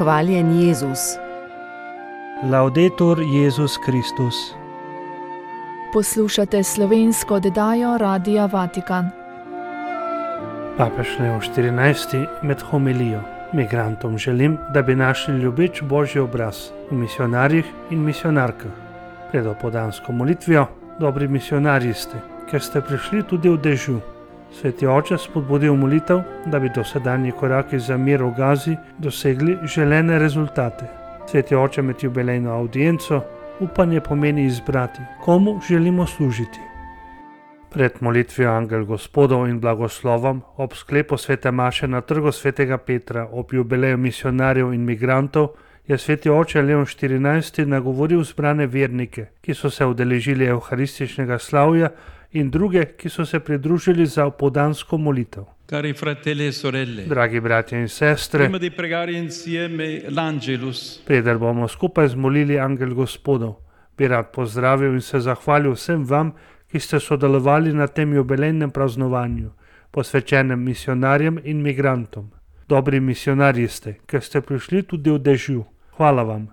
Hvaljen Jezus. Laudetur Jezus Kristus. Poslušate slovensko oddajo Radia Vatikan. Papež Leon XIV med homilijo. Migrantom želim, da bi našli ljubeč Božji obraz v misionarjih in misionarkah. Pred opoldansko molitvijo: dobri misionarji ste, ker ste prišli tudi v dežju. Sveti oče spodbudil molitev, da bi dosedanji koraki za mir v Gazi dosegli želene rezultate. Sveti oče med jubilejno avdienco upanje pomeni izbrati, komu želimo služiti. Pred molitvijo Angel Gospodov in blagoslovom ob sklepu svete maše na trgu svetega Petra ob jubileju misionarjev in migrantov je sveti oče Leon XIV nagovoril zbrane vernike, ki so se udeležili evharističnega slavja, in druge, ki so se pridružili za opoldansko molitev. Cari fratelli e sorelle, Dragi bratje in sestre, prima di pregare insieme l'Angelus, preden bomo skupaj zmolili Angel Gospodov, bi rad pozdravil in se zahvalil vsem vam, ki ste sodelovali na tem jubilejnem praznovanju, posvečenem misionarjem in migrantom. Dobri misionarji ste, ker ste prišli tudi v dežju. Hvala vam.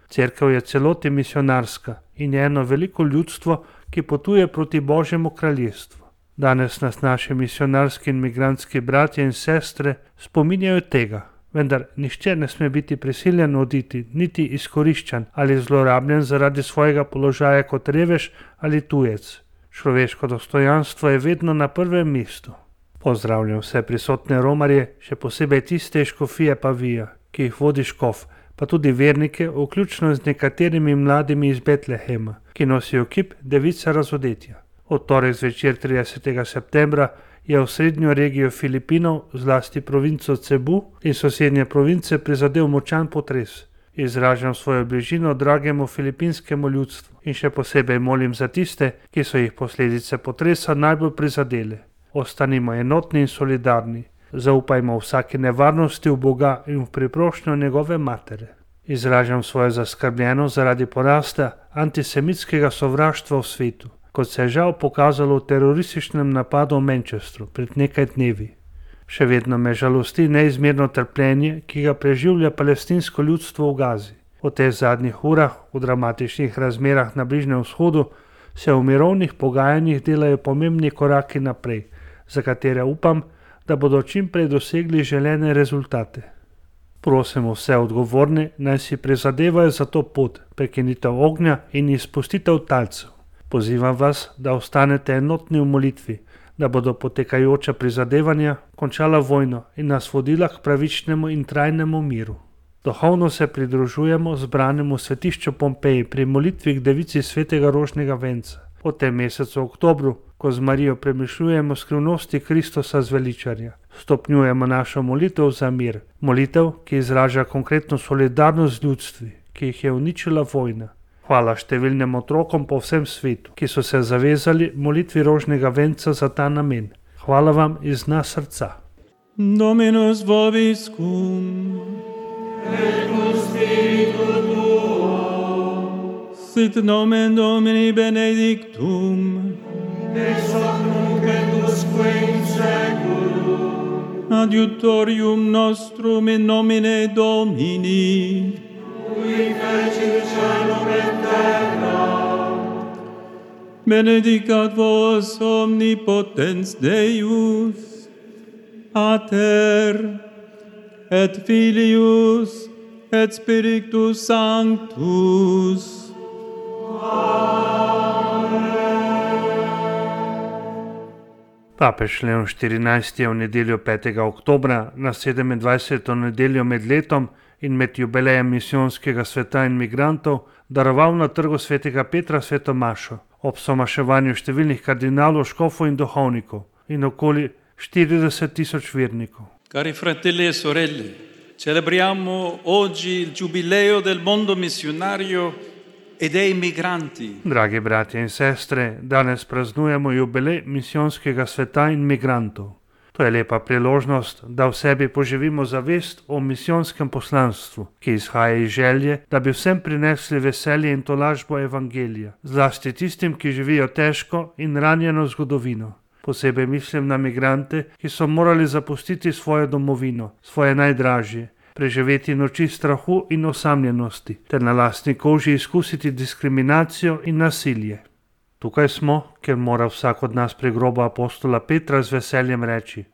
Cerkev je celoti misionarska in je eno veliko ljudstvo, ki potuje proti Božjemu kraljestvu. Danes nas naši misionarski in migrantski bratje in sestre spominjajo tega, vendar nihče ne sme biti prisiljen oditi, niti izkoriščan ali zlorabljen zaradi svojega položaja kot revež ali tujec. Človeško dostojanstvo je vedno na prvem mestu. Pozdravljam vse prisotne romarje, še posebej tiste iz škofije Pavija, ki jih vodi škof, pa tudi vernike, vključno z nekaterimi mladimi iz Betlehema, ki nosijo kip device razodetja. Od torek zvečer 30. septembra je v srednjo regijo Filipinov, zlasti provinco Cebu in sosednje province, prizadel močan potres. Izražam svojo bližino dragemu filipinskemu ljudstvu in še posebej molim za tiste, ki so jih posledice potresa najbolj prizadele. Ostanimo enotni in solidarni. Zaupajmo vsaki nevarnosti v Boga in v priprošnjo njegove matere. Izražam svojo zaskrbljenost zaradi porasta antisemitskega sovraštva v svetu, kot se je žal pokazalo v terorističnem napadu v Manchesteru pred nekaj dnevi. Še vedno me žalosti neizmerno trpljenje, ki ga preživlja palestinsko ljudstvo v Gazi. V teh zadnjih urah, v dramatičnih razmerah na Bližnjem vzhodu, se v mirovnih pogajanjih delajo pomembni koraki naprej, za katere upam, da bodo čim prej dosegli želene rezultate. Prosim vse odgovorne, naj si prizadevajo za to pot, prekinitev ognja in izpustitev talcev. Pozivam vas, da ostanete enotni v molitvi, da bodo potekajoča prizadevanja končala vojno in nas vodila k pravičnemu in trajnemu miru. Duhovno se pridružujemo zbranemu svetišču Pompeji pri molitvi k devici svetega rožnega venca. V tem mesecu oktobru, ko z Marijo premišljujemo skrivnosti Kristusa zveličarja, stopnjujemo našo molitev za mir. Molitev, ki izraža konkretno solidarnost z ljudstvi, ki jih je uničila vojna. Hvala številnim otrokom po vsem svetu, ki so se zavezali molitvi rožnega venca za ta namen. Hvala vam iz dna srca. Dominus vobiscum, et cum spiritu tuo, sit nomen Domini benedictum, ex hoc nunc et usque in seculum, adiutorium nostrum in nomine Domini, qui fecit caelum et terra. Benedicat vos omnipotens Deus, Pater, et Filius, et Spiritus Sanctus. Papež Leon XIV je v nedeljo 5. oktobra na 27. nedeljo med letom in med jubilejem misijonskega sveta in migrantov daroval na trgu svetega Petra sveto mašo ob somaševanju številnih kardinalov, škofov in duhovnikov in okoli 40.000 vernikov. Cari fratelli e sorelle, celebriamo oggi il giubileo del mondo missionario e dei migranti. Dragi bratje in sestre, danes praznujemo jubilej misijonskega sveta in migrantov. To je lepa priložnost, da v sebi poživimo zavest o misijonskem poslanstvu, ki izhaja iz želje, da bi vsem prinesli veselje in tolažbo evangelija, zlasti tistim, ki živijo težko in ranjeno zgodovino. Posebej mislim na migrante, ki so morali zapustiti svojo domovino, svoje najdražje, preživeti noči strahu in osamljenosti, ter na lastni koži izkusiti diskriminacijo in nasilje. Tukaj smo, ker mora vsak od nas pri grobu apostola Petra z veseljem reči: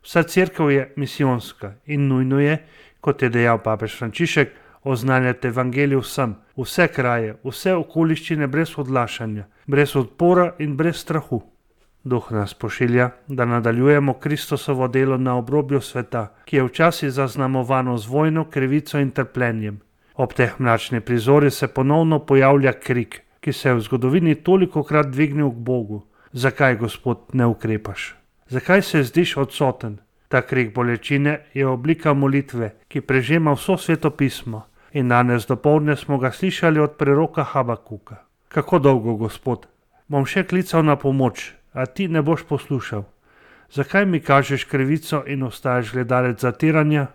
vsa cerkev je misijonska in nujno je, kot je dejal papež Frančišek, oznanjati evangelij vsem, vse kraje, vse okoliščine brez odlašanja, brez odpora in brez strahu. Duh nas pošilja, da nadaljujemo Kristusovo delo na obrobju sveta, ki je včasih zaznamovano z vojno, krivico in trpljenjem. Ob teh mračnih prizorih se ponovno pojavlja krik, ki se je v zgodovini tolikokrat dvignil k Bogu. Zakaj, Gospod, ne ukrepaš? Zakaj se zdiš odsoten? Ta krik bolečine je oblika molitve, ki prežema vso Sveto pismo, in danes dopoldne smo ga slišali od preroka Habakuka. Kako dolgo, Gospod? Bom še klical na pomoč, a ti ne boš poslušal. Zakaj mi kažeš krivico in ostaješ gledalec zatiranja?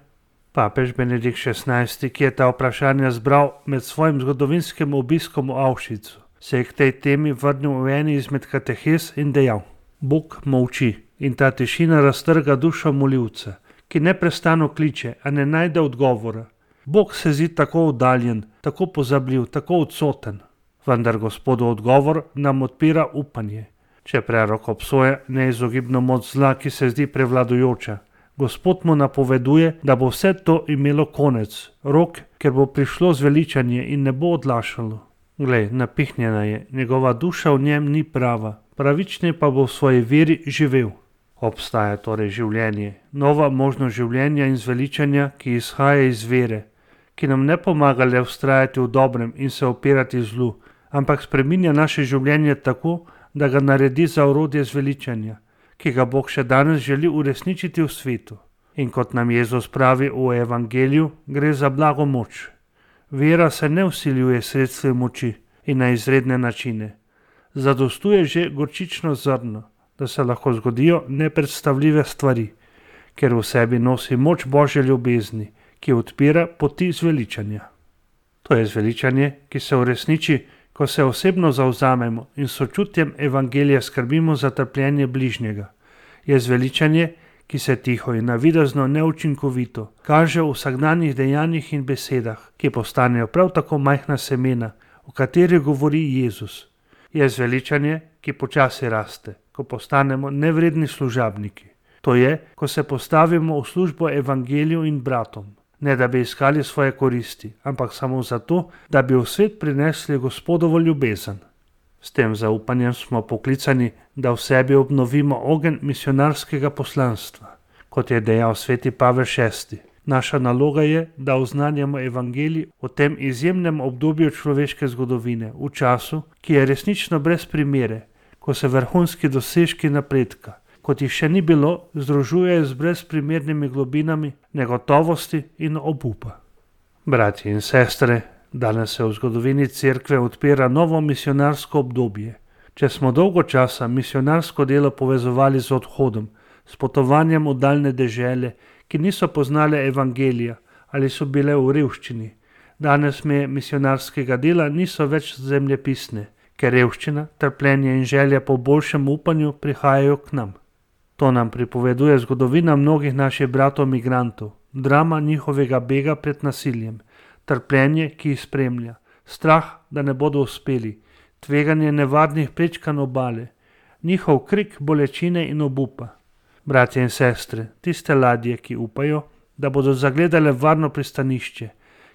Papež Benedikt XVI, ki je ta vprašanja zbral med svojim zgodovinskim obiskom v Auschwitzu, se je k tej temi vrnil v eni izmed katehes in dejal: Bog molči in ta tišina raztrga dušo molivca, ki neprestano kliče, a ne najde odgovora. Bog se zdi tako oddaljen, tako pozabljiv, tako odsoten. Vendar Gospodov odgovor nam odpira upanje. Če prerok obsoja neizogibno moč zla, ki se zdi prevladujoča, Gospod mu napoveduje, da bo vse to imelo konec, rok, ker bo prišlo zveličanje in ne bo odlašalo. Glej, napihnjena je, njegova duša v njem ni prava, pravični pa bo v svoji veri živel. Obstaja torej življenje, nova možnost življenja in zveličanja, ki izhaja iz vere, ki nam ne pomaga le vztrajati v dobrem in se opirati zlu, ampak spreminja naše življenje tako, da ga naredi za orodje zveličanja, ki ga Bog še danes želi uresničiti v svetu. In kot nam Jezus pravi v evangeliju, gre za blago moč. Vera se ne vsiljuje sredstvi moči in na izredne načine. Zadostuje že gorčično zrno, da se lahko zgodijo nepredstavljive stvari, ker v sebi nosi moč Božje ljubezni, ki odpira poti zveličanja. To je zveličanje, ki se uresniči, ko se osebno zavzamemo in sočutjem evangelija skrbimo za trpljenje bližnjega. Je zveličanje, ki se tiho in navidezno neučinkovito kaže v vsakdanjih dejanjih in besedah, ki postanejo prav tako majhna semena, o katerih govori Jezus. Je zveličanje, ki počasi raste, ko postanemo nevredni služabniki. To je, ko se postavimo v službo evangeliju in bratom. Ne da bi iskali svoje koristi, ampak samo zato, da bi v svet prinesli Gospodovo ljubezen. S tem zaupanjem smo poklicani, da v sebi obnovimo ogenj misionarskega poslanstva. Kot je dejal sveti Pavel VI, naša naloga je, da oznanjamo evangelij v tem izjemnem obdobju človeške zgodovine, v času, ki je resnično brez primere, ko se vrhunski dosežki napredka, kot jih še ni bilo, združujejo z brezprimernimi globinami negotovosti in obupa. Bratje in sestre, danes se v zgodovini cerkve odpira novo misionarsko obdobje. Če smo dolgo časa misionarsko delo povezovali z odhodom, s potovanjem v daljne dežele, ki niso poznale evangelija ali so bile v revščini, danes meje misionarskega dela niso več zemljepisne, ker revščina, trpljenje in želja po boljšem upanju prihajajo k nam. To nam pripoveduje zgodovina mnogih naših bratov migrantov, drama njihovega bega pred nasiljem, trpljenje, ki jih spremlja, strah, da ne bodo uspeli, tveganje nevarnih prečkanj obale, njihov krik bolečine in obupa. Bratje in sestre, tiste ladje, ki upajo, da bodo zagledale varno pristanišče,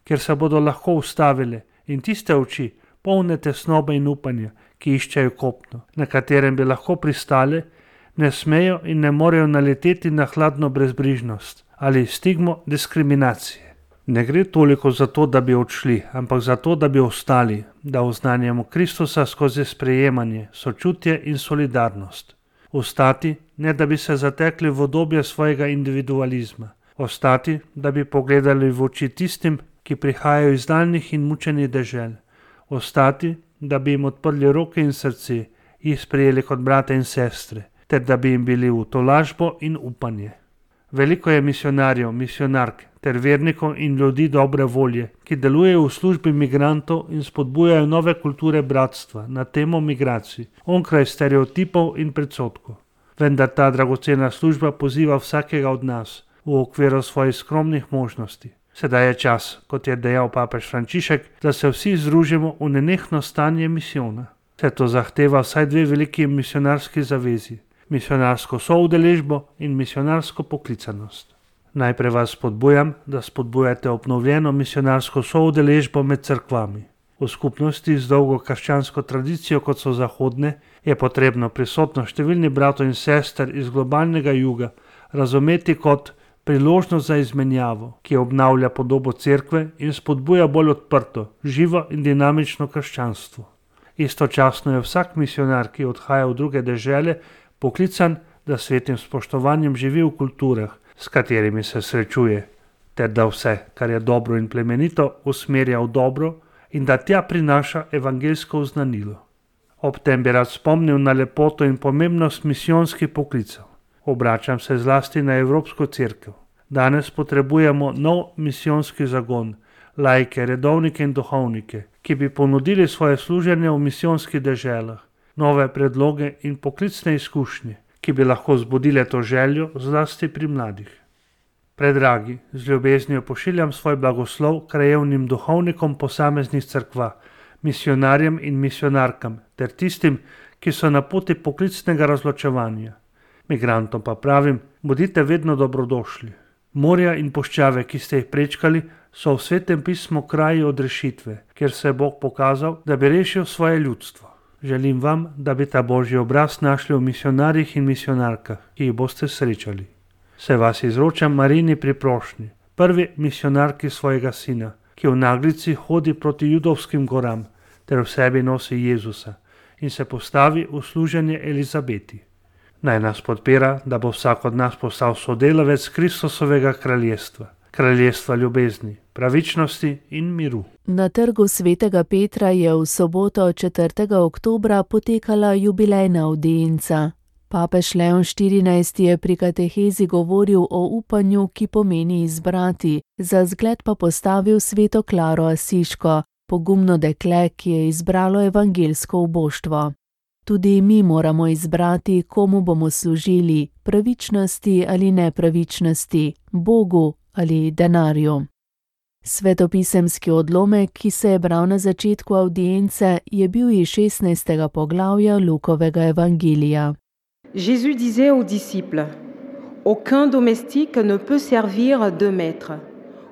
kjer se bodo lahko ustavile, in tiste oči, polne tesnobe in upanja, ki iščejo kopno, na katerem bi lahko pristale, ne smejo in ne morejo naleteti na hladno brezbrižnost ali stigmo diskriminacije. Ne gre toliko za to, da bi odšli, ampak za to, da bi ostali, da oznanjamo Kristusa skozi sprejemanje, sočutje in solidarnost. Ostati, ne da bi se zatekli v obdobje svojega individualizma. Ostati, da bi pogledali v oči tistim, ki prihajajo iz daljnih in mučenih dežel. Ostati, da bi jim odprli roke in srce, jih sprejeli kot brate in sestre, ter da bi jim bili v tolažbo in upanje. Veliko je misionarjev, misionark ter vernikov in ljudi dobre volje, ki delujejo v službi migrantov in spodbujajo nove kulture bratstva na temo migracij, onkraj stereotipov in predsodkov. Vendar ta dragocena služba poziva vsakega od nas v okviru svojih skromnih možnosti. Sedaj je čas, kot je dejal papež Frančišek, da se vsi združimo v nenehno stanje misijona. Vse to zahteva vsaj dve veliki misionarski zavezi, misionarsko soudeležbo in misionarsko poklicanost. Najprej vas spodbujam, da spodbujate obnovljeno misionarsko soudeležbo med cerkvami. V skupnosti z dolgo krščansko tradicijo, kot so zahodne, je potrebno prisotnost številnih bratov in sester iz globalnega juga razumeti kot priložnost za izmenjavo, ki obnavlja podobo cerkve in spodbuja bolj odprto, živo in dinamično krščanstvo. Istočasno je vsak misionar, ki odhaja v druge dežele, poklican, da s svetim spoštovanjem živi v kulturah, s katerimi se srečuje, ter da vse, kar je dobro in plemenito, usmerja v dobro in da tja prinaša evangeljsko oznanilo. Ob tem bi rad spomnil na lepoto in pomembnost misijonskih poklicev. Obračam se zlasti na Evropsko cerkev. Danes potrebujemo nov misijonski zagon, laike, redovnike in duhovnike, ki bi ponudili svoje služenje v misijonskih deželah, nove predloge in poklicne izkušnje, ki bi lahko zbudile to željo zlasti pri mladih. Predragi, z ljubeznijo pošiljam svoj blagoslov krajevnim duhovnikom posameznih cerkva, misionarjem in misionarkam ter tistim, ki so na poti poklicnega razločevanja. Migrantom pa pravim, bodite vedno dobrodošli. Morja in puščave, ki ste jih prečkali, so v Svetem pismu kraji odrešitve, kjer se je Bog pokazal, da bi rešil svoje ljudstvo. Želim vam, da bi ta Božji obraz našli v misionarjih in misionarkah, ki jih boste srečali. Se vas izročam Marini pri prošnji, prvi misionarki svojega sina, ki v naglici hodi proti judovskim goram, ter v sebi nosi Jezusa in se postavi v služenje Elizabeti. Naj nas podpira, da bo vsak od nas postal sodelavec Kristusovega kraljestva, kraljestva ljubezni, pravičnosti in miru. Na trgu Svetega Petra je v soboto 4. oktobra potekala jubilejna avdienca. Papež Leon XIV je pri katehezi govoril o upanju, ki pomeni izbrati, za zgled pa postavil sveto Klaro Asiško, pogumno dekle, ki je izbralo evangeljsko uboštvo. Tudi mi moramo izbrati, komu bomo služili, pravičnosti ali nepravičnosti, Bogu ali denarju. Svetopisemski odlomek, ki se je bral na začetku avdience, je bil iz 16. poglavja Lukovega evangelija. Jésus disait aux disciples, aucun domestique ne peut servir deux maîtres,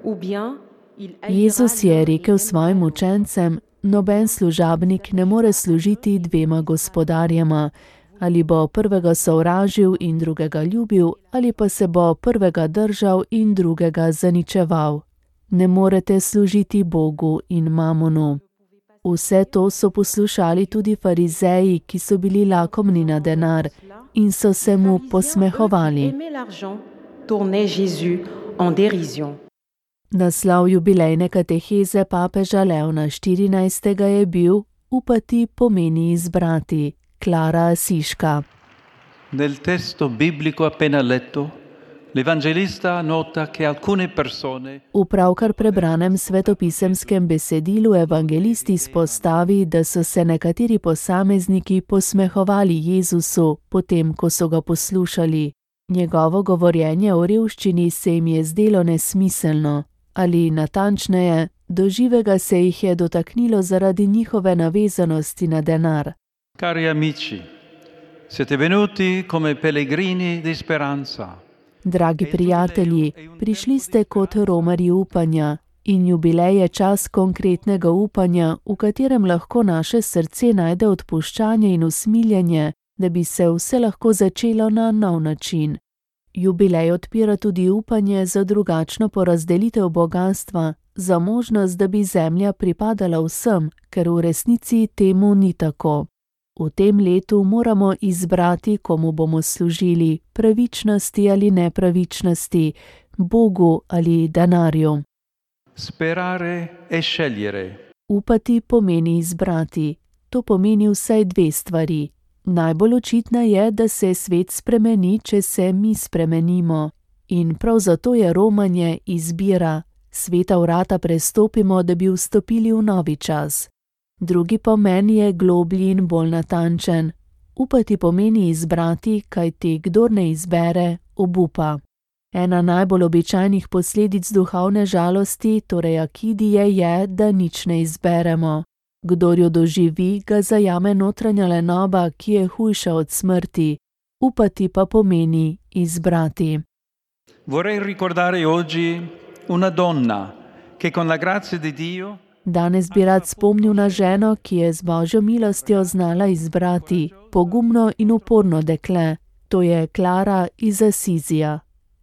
ou bien il Jezus je rekel svojim učencem, noben služabnik ne more služiti dvema gospodarjema, ali bo prvega sovražil in drugega ljubil, ali pa se bo prvega držal in drugega zaničeval. Ne morete služiti Bogu in mamonu. Vse to so poslušali tudi farizeji, ki so bili lakomni na denar in so se mu posmehovali. Naslov jubilejne kateheze papeža Leona XIV. Je bil Upati pomeni izbrati, Klara Asiška. Nel testo biblico appena letto, l'evangelista nota che alcune persone V pravkar prebranem svetopisemskem besedilu evangelist izpostavi, da so se nekateri posamezniki posmehovali Jezusu, potem ko so ga poslušali. Njegovo govorjenje o revščini se jim je zdelo nesmiselno, ali natančneje, do živega se jih je dotaknilo zaradi njihove navezanosti na denar. Cari amici, siete venuti come pellegrini di speranza. Dragi prijatelji, prišli ste kot romarji upanja in jubilej je čas konkretnega upanja, v katerem lahko naše srce najde odpuščanje in usmiljenje, da bi se vse lahko začelo na nov način. Jubilej odpira tudi upanje za drugačno porazdelitev bogastva, za možnost, da bi zemlja pripadala vsem, ker v resnici temu ni tako. V tem letu moramo izbrati, komu bomo služili, pravičnosti ali nepravičnosti, Bogu ali denarju. Sperare e scegliere. Upati pomeni izbrati. To pomeni vsaj dve stvari. Najbolj očitna je, da se svet spremeni, če se mi spremenimo. In prav zato je romanje izbira. Sveta vrata prestopimo, da bi vstopili v novi čas. Drugi pomen je globlji in bolj natančen. Upati pomeni izbrati, kajti kdor ne izbere, obupa. Ena najbolj običajnih posledic duhovne žalosti, torej akidije, je, da nič ne izberemo. Kdor jo doživi, ga zajame notranja lenoba, ki je hujša od smrti. Upati pa pomeni izbrati. Vorrei ricordare oggi una donna che con la grazia di Dio Danes bi rad spomnil na ženo, ki je z Božjo milostjo znala izbrati pogumno in uporno dekle. To je Klara iz Asizija.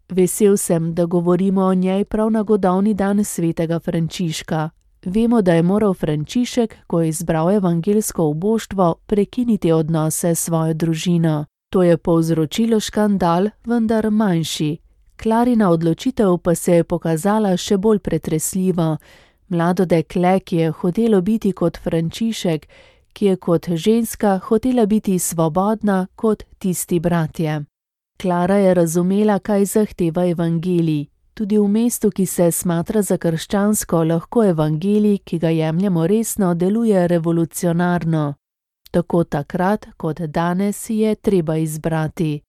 Vesel sem, da govorimo o njej prav na godovni dan svetega Frančiška. Vemo, da je moral Frančišek, ko je izbral evangeljsko uboštvo, prekiniti odnose s svojo družino. To je povzročilo škandal, vendar manjši. Klarina odločitev pa se je pokazala še bolj pretresljivo. Mlado dekle, ki je hotelo biti kot Frančišek, ki je kot ženska hotela biti svobodna kot tisti bratje. Klara je razumela, kaj zahteva evangelij. Tudi v mestu, ki se smatra za krščansko, lahko evangelij, ki ga jemljemo resno, deluje revolucionarno. Tako takrat kot danes je treba izbrati.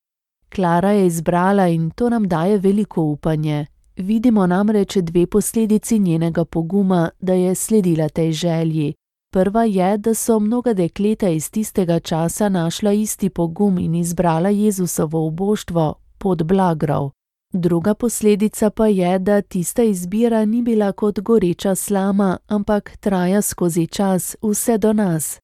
Klara je izbrala in to nam daje veliko upanje. Vidimo namreč dve posledici njenega poguma, da je sledila tej želji. Prva je, da so mnoga dekleta iz tistega časa našla isti pogum in izbrala Jezusovo uboštvo, pot blagrov. Druga posledica pa je, da tista izbira ni bila kot goreča slama, ampak traja skozi čas, vse do nas.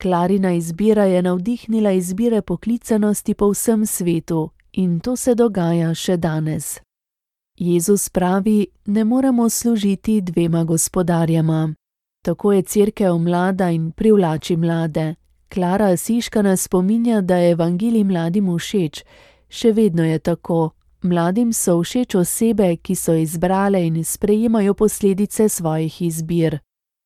Klarina izbira je navdihnila izbire poklicanosti po vsem svetu in to se dogaja še danes. Jezus pravi, ne moremo služiti dvema gospodarjema. Tako je cerkev mlada in privlači mlade. Klara Asiška nas spominja, da je evangelij mladim všeč. Še vedno je tako. Mladim so všeč osebe, ki so izbrale in sprejemajo posledice svojih izbir.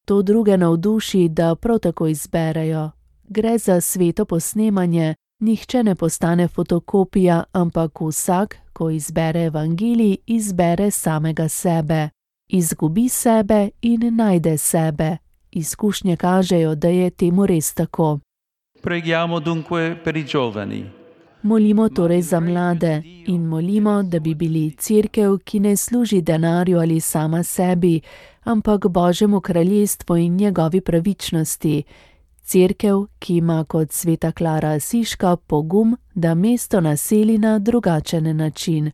To druge navduši, da prav tako izberejo. Gre za sveto posnemanje, nihče ne postane fotokopija, ampak vsak, ko izbere evangelij, izbere samega sebe. Izgubi sebe in najde sebe. Izkušnje kažejo, da je temu res tako. Preghiamo dunque per i giovani. Molimo torej za mlade in molimo, da bi bili cerkev, ki ne služi denarju ali sama sebi, ampak Božjemu kraljestvu in njegovi pravičnosti. Cerkev, ki ima kot sveta Klara Asiška pogum, da mesto naseli na drugačen način.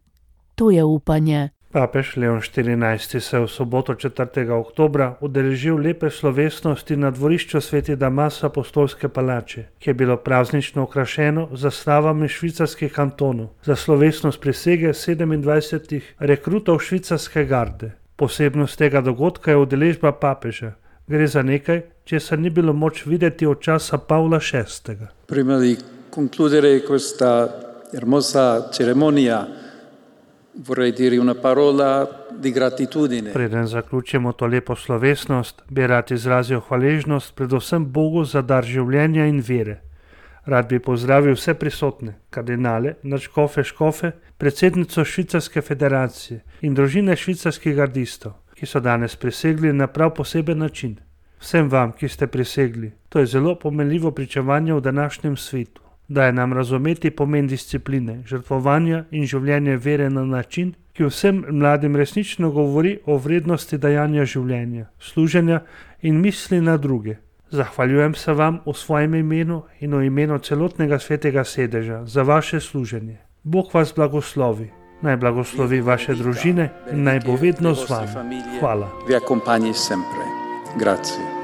To je upanje. Papež Leon XIV. Se v soboto 4. oktobra udeležil lepe slovesnosti na dvorišču Sveti Damas Apostolske palače, ki je bilo praznično okrašeno z zastavami švicarskih kantonov za slovesnost prisege 27 rekrutov švicarske garde. Posebnost tega dogodka je udeležba papeža. Gre za nekaj, česar ni bilo moč videti od časa Pavla VI. Prima di concludere questa hermosa ceremonia, vorrei dire una parola di gratitudine. Preden zaključimo to lepo slovesnost, bi rad izrazil hvaležnost predvsem Bogu za dar življenja in vere. Rad bi pozdravil vse prisotne, kardinale, nadškofe, škofe, predsednico Švicarske federacije in družine švicarskih gardistov, ki so danes prisegli na prav poseben način. Vsem vam, ki ste prisegli, to je zelo pomenljivo pričevanje v današnjem svetu. Daje nam razumeti pomen discipline, žrtvovanja in življenja vere na način, ki vsem mladim resnično govori o vrednosti dajanja življenja, služenja in misli na druge. Zahvaljujem se vam v svojem imenu in v imenu celotnega svetega sedeža za vaše služenje. Bog vas blagoslovi, naj blagoslovi vaše družine in naj bo vedno z vami. Hvala. Vi accompagni sempre. Grazie.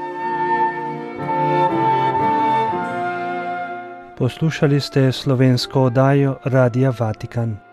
Poslušali ste slovensko oddajo Radia Vatikan.